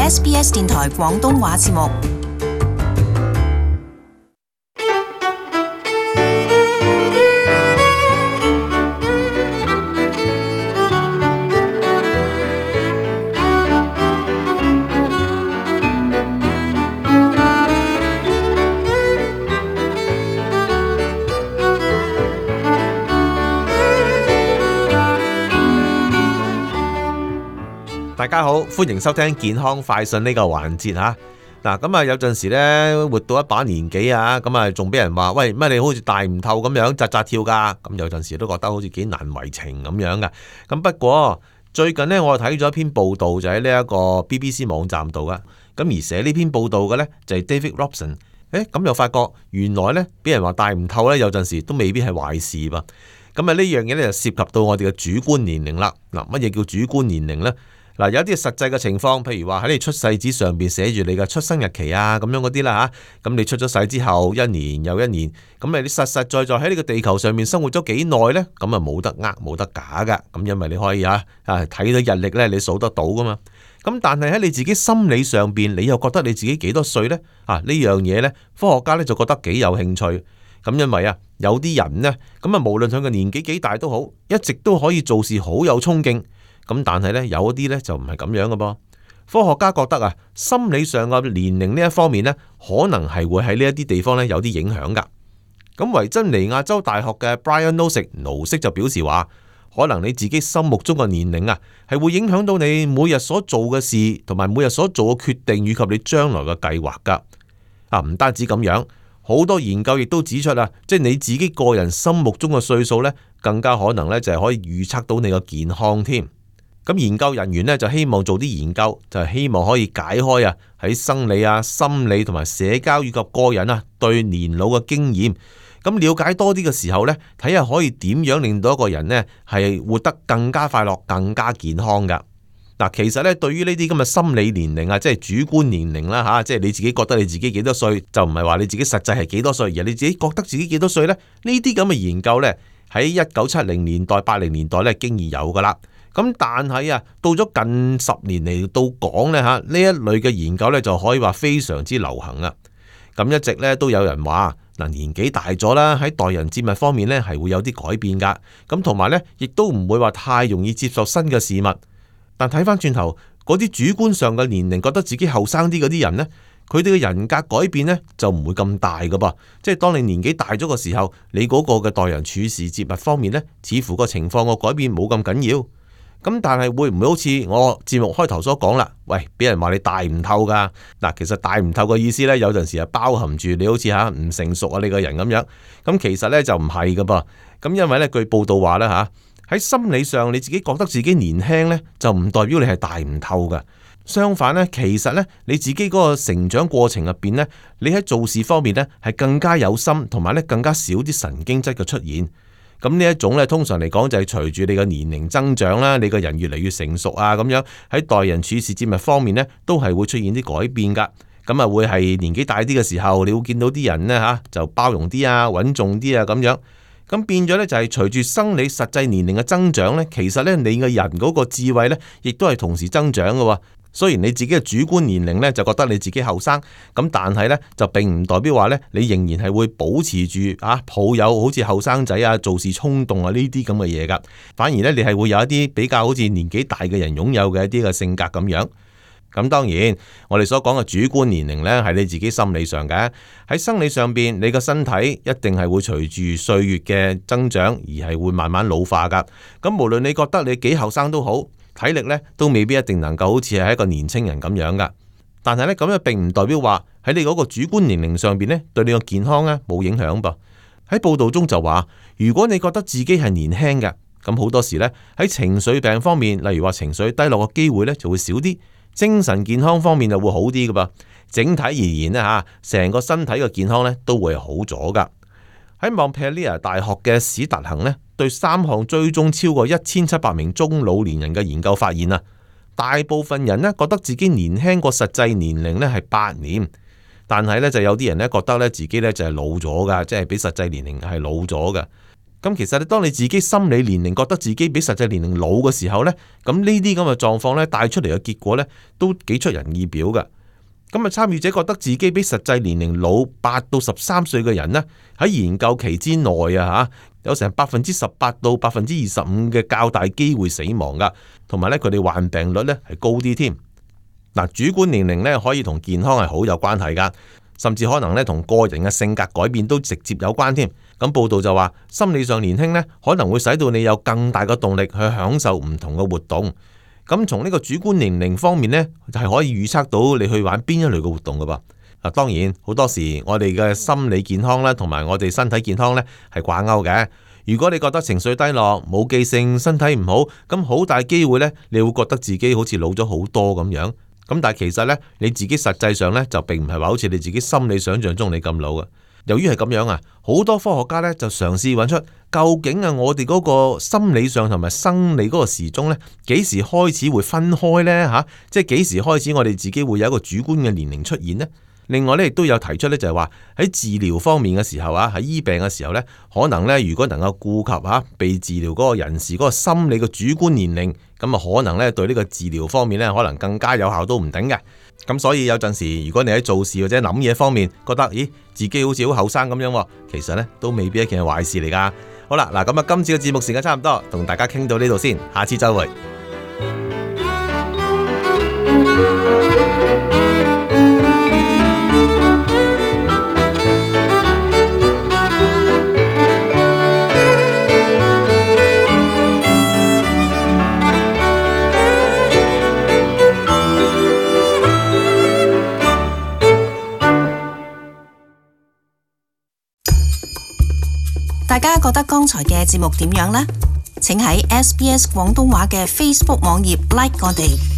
SBS 電台廣東話節目。大家好，歡迎收聽健康快訊呢個環節吓。嗱，咁啊有陣時呢，活到一把年紀啊，咁啊仲俾人話喂，乜你好似大唔透咁樣扎扎跳噶，咁有陣時都覺得好似幾難為情咁樣噶。咁不過最近呢，我睇咗一篇報道就喺呢一個 BBC 網站度噶，咁而寫呢篇報道嘅呢，就係 David Robson。咁又發覺原來呢，俾人話大唔透呢，有陣時都未必係壞事噃。咁啊呢樣嘢呢，就涉及到我哋嘅主觀年齡啦。嗱，乜嘢叫主觀年齡呢？嗱，有啲實際嘅情況，譬如話喺你出世紙上邊寫住你嘅出生日期啊，咁樣嗰啲啦吓。咁你出咗世之後，一年又一年，咁你實實在在喺呢個地球上面生活咗幾耐呢？咁啊冇得冇得假噶。咁因為你可以睇到日曆呢，你數得到噶嘛。咁但係喺你自己心理上邊，你又覺得你自己幾多歲呢？呢樣嘢呢，科學家呢就覺得幾有興趣。咁因為有啲人呢，咁無論佢嘅年紀幾大都好，一直都可以做事好有衝勁。咁但係呢，有啲呢就唔係咁樣嘅噃。科學家覺得心理上嘅年齡呢一方面呢，可能係會喺呢一啲地方呢有啲影響噶。咁維珍尼亞州大學嘅 Brian Nosek 盧色就表示話，可能你自己心目中嘅年齡係會影響到你每日所做嘅事，同埋每日所做嘅決定，以及你將來嘅計劃噶。唔單止咁樣，好多研究亦都指出即係你自己個人心目中嘅歲數呢，更加可能呢就係可以預測到你嘅健康添。咁研究人員呢，就希望做啲研究，就係希望可以解開喺生理心理同埋社交以及個人對年老嘅經驗。咁了解多啲嘅時候呢，睇下可以點樣令到一個人呢係活得更加快樂、更加健康噶。嗱，其實呢，對於呢啲咁嘅心理年齡即係主觀年齡啦吓，即係你自己覺得你自己幾多歲，就唔係話你自己實際係幾多歲，而你自己覺得自己幾多歲呢？呢啲咁嘅研究呢，喺1970年代、80年代呢，經已有噶啦。咁但係到咗近10年嚟到講呢一類嘅研究呢，就可以話非常之流行啊。咁一直呢，都有人話年紀大咗啦，喺待人接物方面呢，係會有啲改變噶。咁同埋呢，亦都唔會話太容易接受新嘅事物。但睇翻轉頭，嗰啲主觀上嘅年齡覺得自己後生啲嗰啲人呢，佢哋嘅人格改變呢，就唔會咁大噶噃。即係當你年紀大咗嘅時候，你嗰個嘅待人處事接物方面呢，似乎個情況個改變冇咁緊要。咁但係會唔會好似我節目開頭所講啦？喂，俾人話你大唔透噶。嗱，其實大唔透嘅意思呢，有陣時係包含住你好似唔成熟你個人咁樣。咁其實呢，就唔係噶噃。咁因為呢，據報道話呢，喺心理上你自己覺得自己年輕呢，就唔代表你係大唔透噶。相反呢，其實呢，你自己嗰個成長過程入邊呢，你喺做事方面呢，係更加有心，同埋呢更加少啲神經質嘅出現。咁呢一種咧，通常嚟講就係隨住你嘅年齡增長啦，你個人越嚟越成熟咁樣喺待人處事接物方面呢，都係會出現啲改變噶。咁會係年紀大啲嘅時候，你會見到啲人呢，就包容啲穩重啲咁樣。咁變咗呢，就係隨住生理實際年齡嘅增長呢，其實呢，你嘅人嗰個智慧呢，亦都係同時增長嘅。雖然你自己嘅主觀年齡呢，就覺得你自己後生，咁但係呢，就並唔代表話呢，你仍然係會保持住抱有好似後生仔做事衝動呢啲咁嘅嘢噶。反而呢，你係會有一啲比較好似年紀大嘅人擁有嘅一啲嘅性格咁樣。咁當然我哋所講嘅主觀年齡呢，係你自己心理上嘅。喺生理上邊，你個身體一定係會隨住歲月嘅增長而係會慢慢老化噶。咁無論你覺得你幾後生都好，體力呢都未必一定能夠好似係一個年青人咁樣噶。但係呢，咁樣並唔代表話喺你嗰個主觀年齡上邊呢，對你個健康呢冇影響噃。喺報道中就話，如果你覺得自己係年輕嘅，咁好多時呢，喺情緒病方面，例如話情緒低落嘅機會呢就會少啲，精神健康方面就會好啲噶噃。整體而言呢，成個身體嘅健康呢都會好咗噶。喺蒙特利爾大學嘅史達恒呢，對3項追蹤超過1700名中老年人嘅研究發現大部分人呢覺得自己年輕過實際年齡呢係8年，但係呢就有啲人呢覺得呢自己呢就係老咗噶，即係比實際年齡係老咗噶。咁其實當你自己心理年齡覺得自己比實際年齡老嘅時候呢，咁呢啲咁嘅狀況呢，帶出嚟嘅結果呢，都幾出人意表㗎。咁啊，參與者覺得自己比實際年齡老8到13歲嘅人呢，喺研究期之內啊有成18%到25%嘅較大機會死亡噶，同埋咧佢哋患病率咧係高啲添。嗱，主觀年齡咧可以同健康係好有關係噶，甚至可能咧同個人嘅性格改變都直接有關添。咁報道就話，心理上年輕咧可能會使到你有更大嘅動力去享受唔同嘅活動。咁從呢個主觀年齡方面呢，就係可以預測到你去玩邊一類嘅活動噶噃。嗱，當然好多時我哋嘅心理健康啦，同埋我哋身體健康呢係掛鈎嘅。如果你覺得情緒低落、冇記性、身體唔好，咁好大機會呢，你會覺得自己好似老咗好多咁樣。咁但係其實呢，你自己實際上呢，就並唔係話好似你自己心理想象中你咁老嘅。由於係咁樣啊，好多科學家呢就嘗試揾出究竟我哋嗰個心理上同埋生理嗰個時鐘呢，幾時開始會分開呢？即係幾時開始我哋自己會有一個主觀嘅年齡出現呢？另外咧，亦都有提出咧，就係話喺治療方面嘅時候喺醫病嘅時候咧，可能咧，如果能夠顧及被治療嗰個人士嗰個心理嘅主觀年齡，咁啊可能咧對呢個治療方面咧，可能更加有效都唔定嘅。咁所以有陣時，如果你喺做事或者諗嘢方面覺得，咦，自己好似好後生咁樣，其實咧都未必一件壞事嚟噶。好啦，嗱，咁啊，今次嘅節目時間差唔多，同大家傾到呢度先，下次再會。大家覺得剛才嘅節目點樣呢？請喺SBS 廣東話嘅 Facebook 網頁 like 我哋。